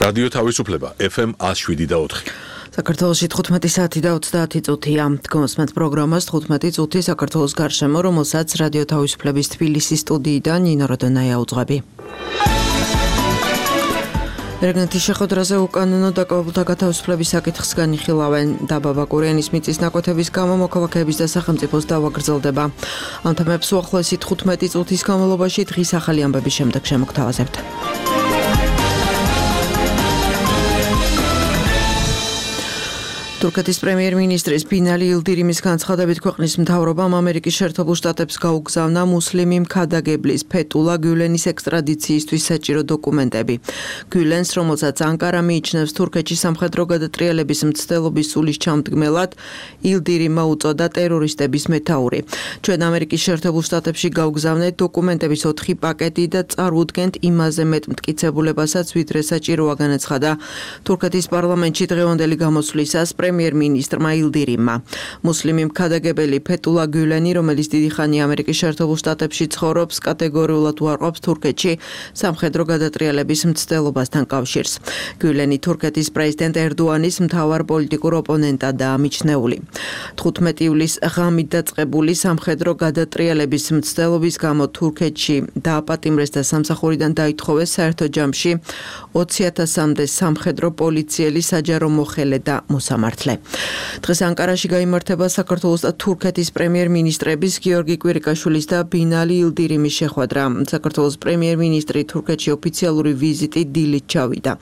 რადიო თავისუფლება FM 107.4. საქართველოში 15 საათი და 30 წუთია. გონსმენთ პროგრამას 15 წუთი საქართველოს გარშემო, რომელსაც რადიო თავისუფლების თბილისის სტუდიიდან ნინო როდონაია უძღვები. რეგნეთის შეხვედრაზე უკანონო დაკავებულთა გათავისუფლების საკითხს განიხილავენ. დაბა ბაკურიანის მიწის ნაკვეთების გამო მოქალაქეების და სახელმწიფოს დავა გრძელდება. ამ თემებს უახლოესი 15 წუთის განმავლობაში დღის ახალი ამბების შემდეგ შემოგთავაზებთ. თურქეთის პრემიერ-მინისტრის ბინალი ილდირიმის განცხადებით ქვეყნის მთავრობამ ამერიკის შეერთებულ შტატებს გაუგზავნა მუსლიმი მქადაგებლის ფეტულა გულენის ექსტრადიციისთვის საჭირო დოკუმენტები. გულენს, რომელსაც ანკარა მიიჩნევს თურქეთში სამხედრო გადატრიალების მცდელობის სულის ჩამდგმელად, ილდირიმმა უწოდა ტერორისტების მეთაური. ჩვენ ამერიკის შეერთებულ შტატებში გავგზავნეთ დოკუმენტების 4 პაკეტი და წარუდგენთ იმაზე მეტ მტკიცებულებასაც, ვიდრე საჭიროა, განაცხადა თურქეთის პარლამენტში დღევანდელი გამოსვლისას პრემიერ-მინისტრმა ილდირიმმა. მუსლიმი მქადაგებელი ფეტულა გულენი, რომელიც დიდი ხანია ამერიკის შეერთებულ შტატებში ცხოვრობს, კატეგორიულად უარყოფს თურქეთში სამხედრო გადატრიალების მცდელობასთან კავშირს. გულენი თურქეთის პრეზიდენტ ერდოანის მთავარ პოლიტიკურ ოპონენტადაა მიჩნეული. 15 ივლისს ღამით დაწყებული სამხედრო გადატრიალების მცდელობის გამო თურქეთში დააპატიმრეს და სამსახურიდან დაითხოვეს საერთო ჯამში 20,000-მდე სამხედრო პოლიციელი, საჯარო მოხელე და მოსამართლე. დღეს ანკარაში გაიმართება საქართველოს და თურქეთის პრემიერ-მინისტრების გიორგი კვირიკაშვილის და ბინალი ილდირიმის შეხვედრა. საქართველოს პრემიერ-მინისტრი თურქეთში ოფიციალური ვიზიტით დილით ჩავიდა.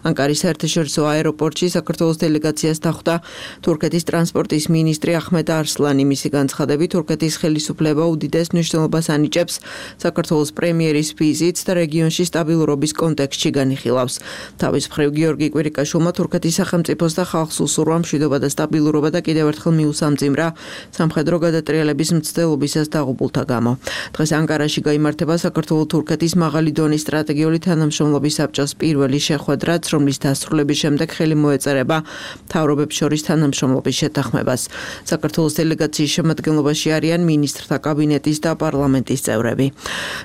ანკარის საერთაშორისო აეროპორტში საქართველოს დელეგაციას დახვდა თურქეთის ტრანსპორტის მინისტრი ახმედ არსლანი. მისი განცხადებით, თურქეთის ხელისუფლება უდიდეს მნიშვნელობას ანიჭებს საქართველოს პრემიერის ვიზიტს და რეგიონში სტაბილურობის კონტექსტში განიხილავს. თავის მხრივ გიორგი კვირიკაშვილმა თურქეთის სახელმწიფოს და ხალხს უსურვა მშვიდობა და სტაბილურობა და კიდევ ერთხელ მიუსამძიმრა სამხედრო გადატრიალების მცდელობისას დაღუპულთა გამო. დღეს ანკარაში გაიმართება საქართველო-თურქეთის მაღალი დონის სტრატეგიული თანამშრომლობის საბჭოს პირველი შეხვედრაც, რომლის დასრულების შემდეგ ხელი მოეწერება მთავრობებს შორის თანამშრომლობის შეთანხმებას. საქართველოს დელეგაციის შემადგენლობაში არიან მინისტრთა კაბინეტის და პარლამენტის წევრები.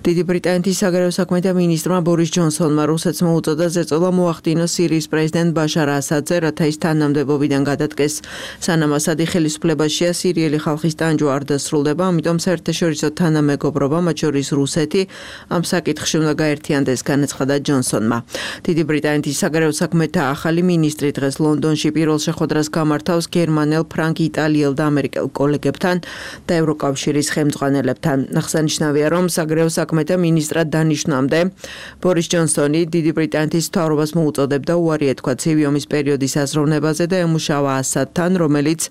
დიდი ბრიტანეთის საგარეო საქმეთა მინისტრმა ბორის ჯონსონმა რუსეთს მოუწოდა ზეწოლა მოახდინოს სირიის პრეზიდენტ ბაშარ ასადზე, რათა ის თანამდებობიდან გადადგეს. სანამ ასადი ხელისუფლებაშია, სირიელი ხალხის ტანჯვა არ დასრულდება, ამიტომ საერთაშორისო თანამეგობრობა, მათ შორის რუსეთი, ამ საკითხში უნდა გაერთიანდეს, განაცხადა ჯონსონმა. დიდი ბრიტანეთის საგარეო საქმეთა ახალი მინისტრი დღეს ლონდონში პირველ შეხვედრას გამართავს გერმანელ, ფრანგ, იტალიელ და ამერიკელ კოლეგებთან და ევროკავშირის ხელმძღვანელებთან. აღსანიშნავია, რომ საგარეო საქმეთა მინისტრად დანიშნვამდე ბორის ჯონსონი დიდი ბრიტანეთის მთავრობას მოუწოდებდა უარი ეთქვა ცივი ომის პერიოდის აზროვნებაზე და ემუშავა ასადთან, რომელიც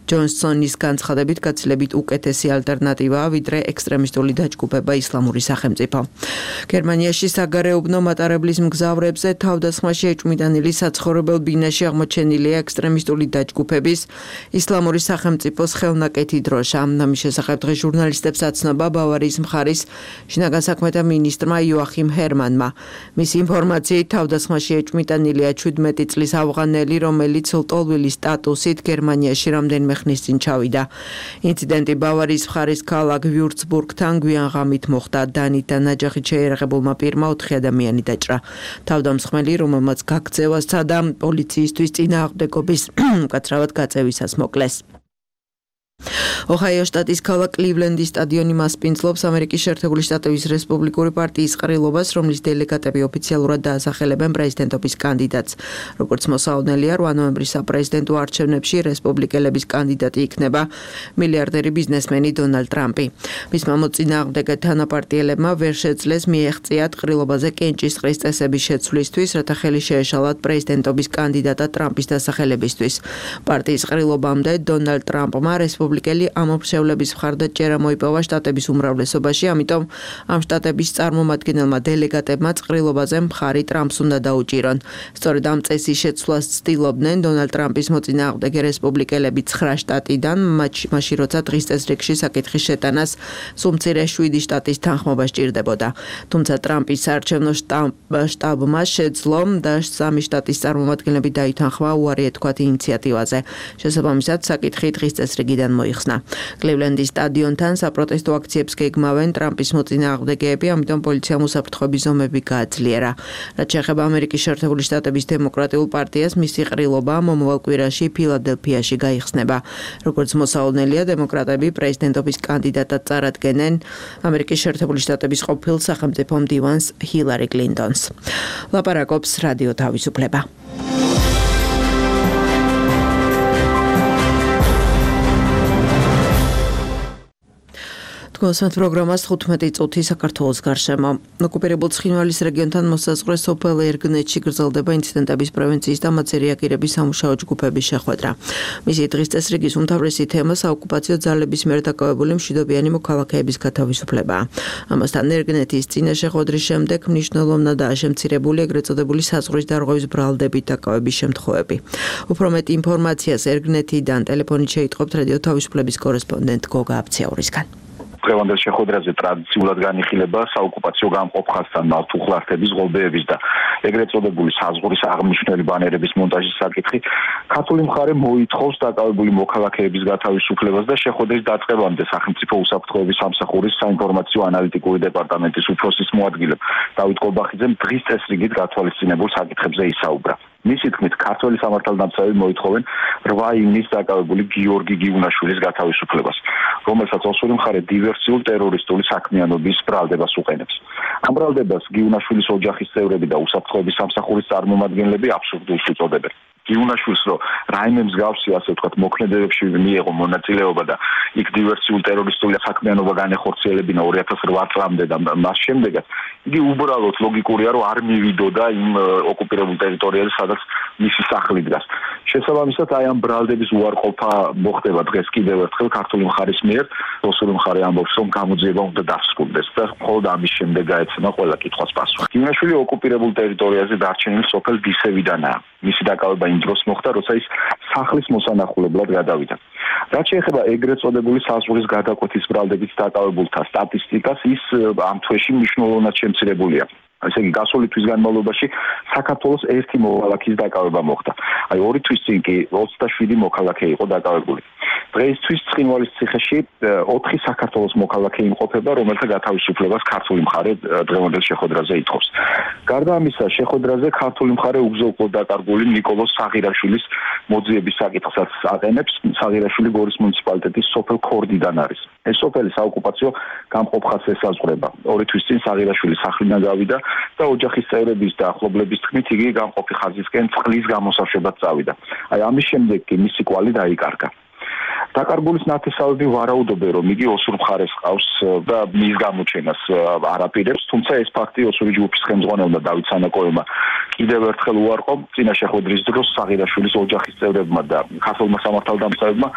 ჯონსონის განცხადებით გაცილებით უკეთესი ალტერნატივაა, ვიდრე ექსტრემისტული დაჯგუფება ისლამური სახელმწიფო. გერმანიაში საგარეუბნო მატარებლის მგზავრებზე თავდასხმაში ეჭვმიტანილი საცხოვრებელ ბინაში აღმოჩენილია ექსტრემისტული დაჯგუფების ისლამური სახელმწიფოს ხელნაკეთი დროშა. ამის შესახებ დღეს ჟურნალისტებს აცნობა ბავარიის მხარის შინაგან საქმეთა მინისტრმა იოახიმ ჰერმანმა. მისი ინფორმაციით თავდასხმაში ეჭვმიტანილია 17 წლის ავღანელი, რომელიც ლტოლვილის სტატუსით გერმანიაში რამდენიმე ხნის წინ ჩავიდა. ინციდენტი ბავარიის მხარის ქალაქ ვიურცბურგთან გვიან ღამით მოხდა. დანით და ნაჯახით შეიარაღებულმა პირმა 4 ადამიანი დაჭრა. თავდამსხმელი, რომელმაც გაქცევა სცადა, პოლიციისთვის წინააღმდეგობის მკაცრავად გაწევისას მოკლეს. ოჰაიო შტატის ქალაქ კლივლენდის სტადიონი მასპინძლობს ამერიკის შეერთებული შტატების რესპუბლიკური პარტიის ყრილობას, რომლის დელეგატები ოფიციალურად დაასახელებენ პრეზიდენტობის კანდიდატს. როგორც მოსაოდნელია, 8 ნოემბრის საპრეზიდენტო არჩევნებში რესპუბლიკელების კანდიდატი იქნება მილიარდერი ბიზნესმენი დონალდ ტრამპი. მისმა მოწინააღმდეგე თანაპარტიელებმა ვერ შეძლეს მიეღწიათ ყრილობაზე კენჭისყრის წესების შეცვლისთვის, რათა ხელი შეეშალათ პრეზიდენტობის კანდიდატად ტრამპის დასახელებისთვის. პარტიის ყრილობამდე დონალდ ტრამპმა რესპუბლიკელი ამომრჩევლების მხარდაჭერა მოიპოვა შტატების უმრავლესობაში, ამიტომ ამ შტატების წარმომადგენელმა დელეგატებმა ყრილობაზე მხარი ტრამპს უნდა დაუჭირონ. სწორედ ამ წესის შეცვლას ცდილობდნენ დონალდ ტრამპის მოწინააღმდეგე რესპუბლიკელები 9 შტატიდან, მაშინ როცა დღის წესრიგში საკითხის შეტანას სულ მცირე 7 შტატის თანხმობა სჭირდებოდა. თუმცა ტრამპის საარჩევნო შტაბმა შეძლო და 3 შტატის წარმომადგენლები დაითანხმა უარი ეთქვათ ინიციატივაზე. შესაბამისად, საკითხი დღის წესრიგიდან მიწიდან მოიხსნა. კლივლენდის სტადიონთან საპროტესტო აქციებს გეგმავენ ტრამპის მოწინააღმდეგეები, ამიტომ პოლიციამ უსაფრთხოების ზომები გააძლიერა. რაც შეეხება ამერიკის შეერთებული შტატების დემოკრატიულ პარტიას, მისი ყრილობა მომავალ კვირაში ფილადელფიაში გაიხსნება. როგორც მოსავალნელია, დემოკრატები პრეზიდენტობის კანდიდატად წარადგენენ ამერიკის შეერთებული შტატების ყოფილ სახელმწიფო მდივანს ჰილარი კლინტონს. ლაპარაკობს რადიო თავისუფლება. გოსმენთ პროგრამას 15 წუთი საქართველოს გარშემო. ოკუპირებულ ცხინვალის რეგიონთან მოსაზღვრე სოფელ ერგნეთში გრძელდება ინციდენტების პრევენციის და მათზე რეაგირების სამუშაო ჯგუფების შეხვედრა. მისი დღის წესრიგის უმთავრესი თემა საოკუპაციო ძალების მიერ დაკავებული მშვიდობიანი მოქალაქეების გათავისუფლებაა. ამასთან ერგნეთის წინა შეხვედრის შემდეგ მნიშვნელოვნადაა შემცირებული ეგრეთ წოდებული საზღვრის დარღვევის ბრალდებით დაკავების შემთხვევები. უფრო მეტ ინფორმაციას ერგნეთიდან ტელეფონით შეიტყობთ რადიო თავისუფლების კორესპონდენტ გოგა აბციაურისგან. დღევანდელ შეხვედრაზე ტრადიციულად განიხილება საოკუპაციო გამყოფხასთან მართუხლართების ღობეების და ეგრეთ წოდებული საზღვრის აღმნიშვნელი ბანერების მონტაჟის საკითხი. ქართული მხარე მოითხოვს დაკავებული მოქალაქეების გათავისუფლებას და შეხვედრის დაწყებამდე სახელმწიფო უსაფრთხოების სამსახურის საინფორმაციო ანალიტიკური დეპარტამენტის უფროსის მოადგილემ დავით კოლბახიძემ დღის წესრიგით გათვალისწინებულ საკითხებზე ისაუბრა. მისი თქმით, ქართველი სამართალდამცავი მოითხოვენ 8 ივნისს დაკავებული გიორგი გიუნაშვილის გათავისუფლებას, რომელსაც ოსური მხარე დივერსიულ ტერორისტული საქმიანობის ბრალდებას უყენებს. ამ ბრალდებას გიუნაშვილის ოჯახის წევრები და უსაფრთხოების სამსახურის წარმომადგენლები აბსურდულს უწოდებენ. გიუნაშვილს რო რაიმე მსგავსი, ასე ვთქვათ, მოქმედებებში მიეღო მონაწილეობა და იქ დივერსიულ ტერორისტული საქმიანობა განეხორციელებინა 2008 წლამდე და მას შემდეგაც იგი უბრალოდ ლოგიკურია, რომ არ მივიდოდა იმ ოკუპირებულ ტერიტორიაზე, სადაც მისი სახლი დგას. შესაბამისად, აი ამ ბრალდების უარყოფა მოხდება დღეს კიდევ ერთხელ ქართული მხარის მიერ. ოსური მხარე ამბობს, რომ გამოძიება უნდა დასრულდეს და მხოლოდ ამის შემდეგ გაეცემა ყველა კითხვას პასუხი. გიუნაშვილი ოკუპირებულ ტერიტორიაზე დარჩენილ სოფელ დისევიდანაა. მისი დაკავება იმ დროს მოხდა, როცა ის სახლის მოსანახულებლად გადავიდა. რაც შეეხება ეგრეთ წოდებული საზღვრის გადაკვეთის ბრალდებით დაკავებულთა სტატისტიკას, ის ამ თვეში მნიშვნელოვნად შემცირებულია. ესე იგი, გასული თვის განმავლობაში საქართველოს 1 მოქალაქის დაკავება მოხდა. აი 2 თვის წინ კი 27 მოქალაქე იყო დაკავებული. დღეისთვის ცხინვალის ციხეში 4 საქართველოს მოქალაქე იმყოფება, რომელთა გათავისუფლებას ქართული მხარე დღევანდელ შეხვედრაზე ითხოვს. გარდა ამისა, შეხვედრაზე ქართული მხარე უგზო-უკვლოდ დაკარგული ნიკოლოზ საღირაშვილის მოძიების საკითხსაც აყენებს. საღირაშვილი გორის მუნიციპალიტეტის სოფელ ქორდიდან არის. ეს სოფელი საოკუპაციო გამყოფხას ესაზღვრება. 2 თვის წინ საღირაშვილი სახლიდან გავიდა და ოჯახის წევრების და ახლობლების თქმით იგი გამყოფი ხაზისკენ წყლის გამოსავშებად წავიდა. აი ამის შემდეგ კი მისი კვალი დაიკარგა. დაკარგულის ნათესავები ვარაუდობენ, რომ იგი ოსურ მხარეს ყავს და მის გამოჩენას არ აპირებს, თუმცა ეს ფაქტი ოსური ჯგუფის ხელმძღვანელმა დავით სანაკოევმა კიდევ ერთხელ უარყო. წინა შეხვედრის დროს საღირაშვილის ოჯახის წევრებმა და ქართულმა სამართალდამცავებმა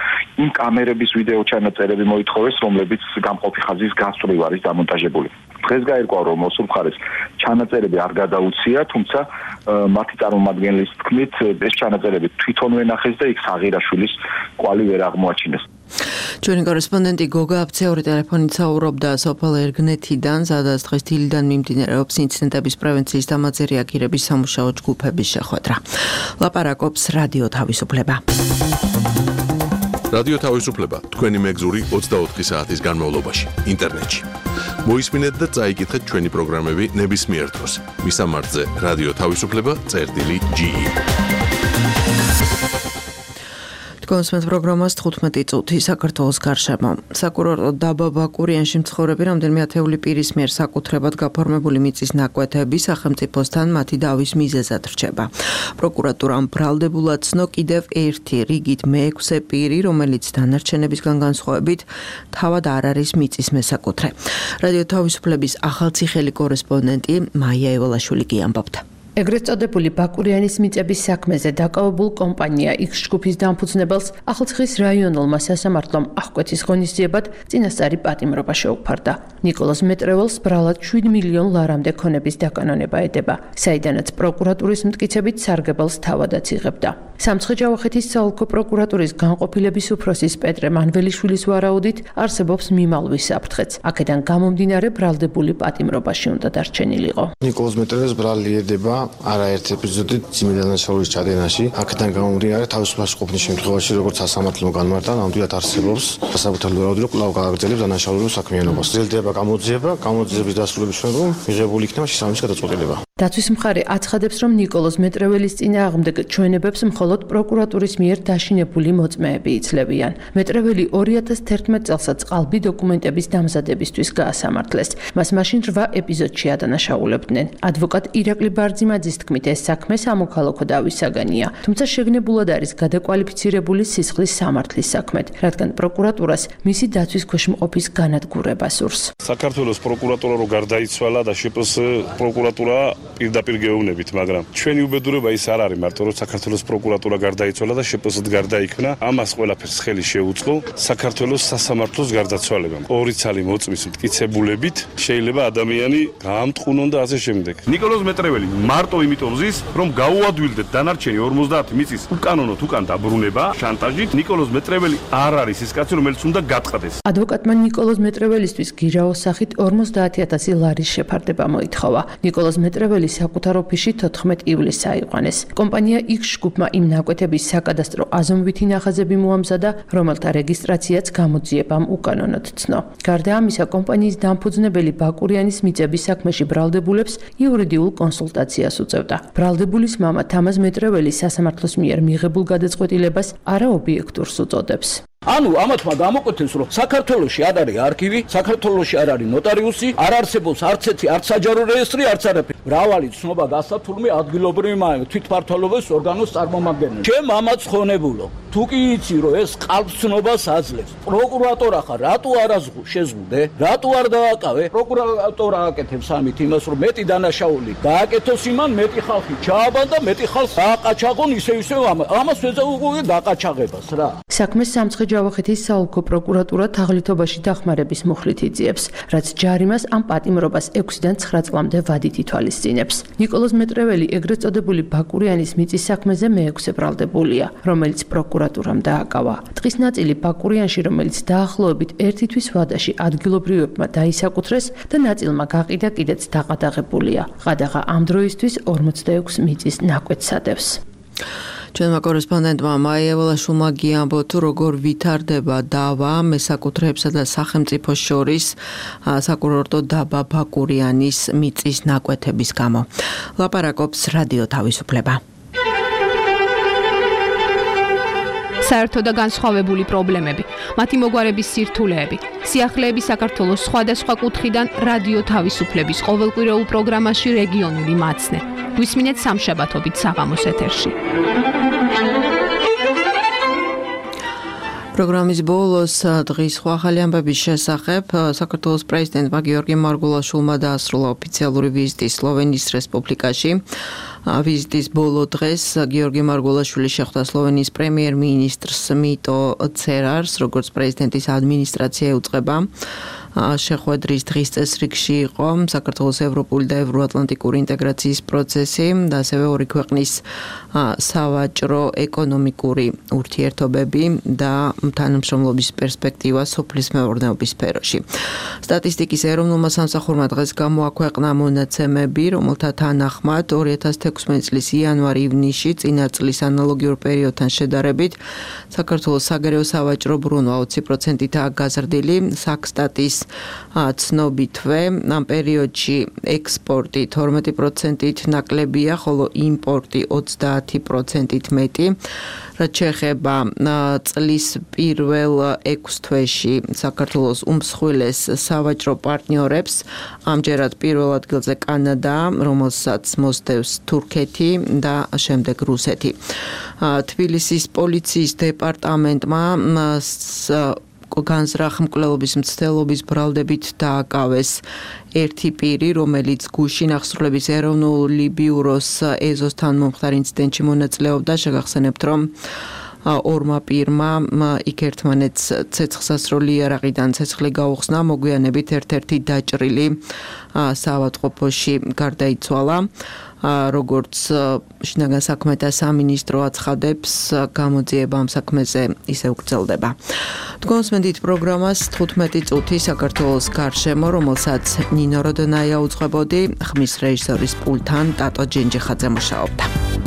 იმ კამერების ვიდეო ჩანაწერები მოითხოვეს, რომლებიც გამყოფი ხაზის გასწვრივ არის დამონტაჟებული. დღეს გაირკვა, რომ ოსურ მხარეს ჩანაწერები არ გადაუცია, თუმცა მათი წარმომადგენლის თქმით, ეს ჩანაწერები თვითონვე ნახეს და იქ საღირაშვილის კვალი ვერ აღმოაჩინეს. ჩვენი კორესპონდენტი გოგა აბციაური ტელეფონით საუბრობდა სოფელ ერგნეთიდან, სადაც დღეს დილიდან მიმდინარეობს ინციდენტების პრევენციის და მათზე რეაგირების სამუშაო ჯგუფების შეხვედრა. ლაპარაკობს რადიო თავისუფლება. რადიო თავისუფლება თქვენი მეგზური 24 საათის განმავლობაში ინტერნეტში. მოისმინეთ და წაიკითხეთ ჩვენი პროგრამები ნებისმიერ დროს. მისამართზე რადიო თავისუფლება.ge. გოსმენთ პროგრამას 15 წუთი საქართველოს გარშემო. საკურორტო დაბა ბაკურიანში მცხოვრები რამდენიმე ათეული პირის მიერ საკუთრებად გაფორმებული მიწის ნაკვეთები სახელმწიფოსთან მათი დავის მიზეზად რჩება. პროკურატურამ ბრალდებულად ცნო კიდევ ერთი რიგით მე-6 პირი, რომელიც დანარჩენებისგან განსხვავებით თავად არ არის მიწის მესაკუთრე. რადიო თავისუფლების ახალციხელი კორესპონდენტი მაია ევალაშვილი კი ამბობდა. ეგრეთ წოდებული ბაკურიანის მიწების საქმეზე დაკავებულ კომპანია X ჯგუფის დამფუძნებელს ახალციხის რაიონულმა სასამართლომ აღკვეთის ღონისძიებად წინასწარი პატიმრობა შეუფარდა. ნიკოლოზ მეტრეველს ბრალად 7 მილიონ ლარამდე ქონების დაკანონება ედება, საიდანაც პროკურატურის მტკიცებით სარგებელს თავადაც იღებდა. სამცხე-ჯავახეთის საოლქო პროკურატურის განყოფილების უფროსის პეტრე მანველიშვილის ვარაუდით არსებობს მიმალვის საფრთხეც. აქედან გამომდინარე ბრალდებული პატიმრობაში უნდა დარჩენილიყო. ნიკოლოზ მეტრეველს ბრალი ედება არაერთ ეპიზოდით ძიმედანაშაულის ჩადენაში. აქედან გამომდინარე თავისუფლად ყოფნის შემთხვევაში, როგორც სასამართლო განმარტა, ნამდვილად არსებობს სასამართლო რაოდენობა კვლავ გააგრძელებს დანაშაულებრივ საქმიანობას. გრძელდება გამოძიების დასრულების შემდგომ მიღებული იქნება შესაბამისი გადაწყვეტილება. დაცვის მხარე აცხადებს, რომ ნიკოლოზ მეტრეველის წინააღმდეგ ჩვენებებს მხოლოდ პროკურატურის მიერ დაშინებული მოწმეები იძლევიან. მეტრეველი 2011 წელსაც ყალბი დოკუმენტების დამზადებისთვის გაასამართლეს. მას მაშინ 8 ეპიზოდში ადანაშაულებდნენ. ადვოკატ ირაკლი ბარძიმაძის თქმით, ეს საქმე სამოქალაქო დავის საგანია, თუმცა შეგნებულად არის გადაკვალიფიცირებული სისხლის სამართლის საქმედ, რადგან პროკურატურას მისი დაცვის ქვეშ მყოფის განადგურება სურს. საქართველოს პროკურატურა რო გარდაიცვალა და შპს პროკურატურა პირდაპირ გეუბნებით, მაგრამ ჩვენი უბედურება ის არ არის მარტო რომ საქართველოს პროკურატურა გარდაიცვალა და შპს-д გარდაიქმნა, ამას ყველაფერს ხელი შეუწყო საქართველოს სასამართლოს გარდაცვალებამ. ორი ცალი მოწმის მტკიცებულებით შეიძლება ადამიანი გაამტყუნონ და ასე შემდეგ. ნიკოლოზ მეტრეველი მარტო იმიტომ ზის, რომ გაუადვილდეთ დანარჩენი 50 მიწის უკანონოდ უკან დაბრუნება შანტაჟით. ნიკოლოზ მეტრეველი არ არის ის კაცი, რომელიც უნდა გატყდეს. ადვოკატმა ნიკოლოზ მეტრეველისთვის გირაოს სახით 50,000 ლარის შეფარდება მოითხოვა. ნიკოლოზ მეტრეველი საკუთარ ოფისში 14 ივლისს აიყვანეს. კომპანია X ჯგუფმა იმ ნაკვეთების საკადასტრო აზომვითი ნახაზები მოამზადა, რომელთა რეგისტრაციაც გამოძიებამ უკანონოდ ცნო. გარდა ამისა, კომპანიის დამფუძნებელი ბაკურიანის მიწების საქმეში ბრალდებულებს იურიდიულ კონსულტაციას უწევდა. ბრალდებულის მამა თამაზ მეტრეველი სასამართლოს მიერ მიღებულ გადაწყვეტილებას არაობიექტურს უწოდებს. ანუ ამათმა გამოკვეთეს, რომ საქართველოში არ არის არქივი, საქართველოში არ არის ნოტარიუსი, არ არსებობს არც ერთი არც საჯარო რეესტრი, არც არაფერი. მრავალი ცნობა გასცა თურმე ადგილობრივი თვითმმართველობის ორგანოს წარმომადგენელი. ჩემ მამაც ხონებულო. თუ კი იცი, რომ ეს ყალბცნობას აძლევს, პროკურატურა ხარ, რატო არ შეზღუდე? რატო არ დააკავე? პროკურატურა აკეთებს ამით იმას, რომ მეტი დანაშაული გააკეთოს იმან, მეტი ხალხი ჩააბან და მეტი ხალხს დააყაჩაღონ ისევ ამას ვეძახი დაკაჩაღებას რა. საქმეს სამცხე ჯავახეთის საოლქო პროკურატურა თაღლითობაში დახმარების მუხლით იძიებს, რაც ჯარიმას ამ პატიმრობას 6-დან 9 წლამდე ვადით ითვალისწინებს. ნიკოლოზ მეტრეველი ეგრეთ წოდებული ბაკურიანის მიწის საქმეზე მე-6 ბრალდებულია, რომელიც პროკურატურამ დააკავა. ტყის ნაწილი ბაკურიანში, რომელიც დაახლოებით 1 თვის ვადაში ადგილობრივებმა დაისაკუთრეს და ნაწილმა გაყიდა კიდეც დაყადაღებულია. ყადაღა ამ დროისთვის 46 მიწის ნაკვეთს ადევს. ჩვენმა კორესპონდენტმა მაია ველაშვილმა გიამბო თუ როგორ ვითარდება დავა მესაკუთრეებსა და სახელმწიფოს შორის საკურორტო დაბა ბაკურიანის მიწის ნაკვეთების გამო. ლაპარაკობს რადიო თავისუფლება. საერთო და განსხვავებული პრობლემები, მათი მოგვარების სირთულეები, სიახლეები საქართველოს სხვადასხვა კუთხიდან რადიო თავისუფლების ყოველკვირეულ პროგრამაში რეგიონული მაცნე. გვისმინეთ სამშაბათობით საღამოს ეთერში. პროგრამის ბოლოს დღის სხვა ახალი ამბების შესახებ საქართველოს პრეზიდენტმა გიორგი მარგულაშვილმა დაასრულა ოფიციალური ვიზიტი სლოვენიის რესპუბლიკაში. ვიზიტის ბოლო დღეს გიორგი მარგულაშვილი შეხვდა სლოვენიის პრემიერ-მინისტრს მიტო ცერარს, როგორც პრეზიდენტის ადმინისტრაცია ეუწყება. შეხვედრის დღის წესრიგში იყო საქართველოს ევროპული და ევროატლანტიკური ინტეგრაციის პროცესი და ასევე ორი ქვეყნის სავაჭრო ეკონომიკური ურთიერთობები და თანამშრომლობის პერსპექტივა სოფლის მეურნეობის სფეროში. სტატისტიკის ეროვნულმა სამსახურმა დღეს გამოაქვეყნა მონაცემები, რომელთა თანახმად 2016 წლის იანვარ-ივნისში წინა წლის ანალოგიურ პერიოდთან შედარებით საქართველოს საგარეო სავაჭრო ბრუნვა 20%-ით გაზრდილი. საქსტატის ცნობითვე ამ პერიოდში ექსპორტი 12%-ით ნაკლებია, ხოლო იმპორტი 30%-ით მეტი. რაც შეეხება წლის პირველ 6 თვეში საქართველოს უმსხვილეს სავაჭრო პარტნიორებს, ამჯერად პირველ ადგილზე კანადა, რომელსაც მოსდევს თურქეთი და შემდეგ რუსეთი. თბილისის პოლიციის დეპარტამენტმა განზრახ მკვლელობის მცდელობის ბრალდებით დააკავეს ერთი პირი, რომელიც გუშინ აღსრულების ეროვნული ბიუროს ეზოს თანმომხდარ ინციდენტში მონაწილეობდა. შეგახსენებთ, რომ ორმა პირმა იქ ერთმანეთს ცეცხლსასროლი იარაღიდან ცეცხლი გაუხსნა, მოგვიანებით ერთ-ერთი დაჭრილი საავადმყოფოში გარდაიცვალა. როგორც შინაგან საქმეთა სამინისტრო აცხადებს, გამოძიება ამ საქმეზე ისევ გრძელდება. თქვენსმენდით პროგრამას 15 წუთი საქართველოს გარშემო, რომელსაც ნინო როდონაია უძღვებოდი, ხმის რეჟისორის პულტთან ტატო ჯენჯიხაძე მუშაობდა.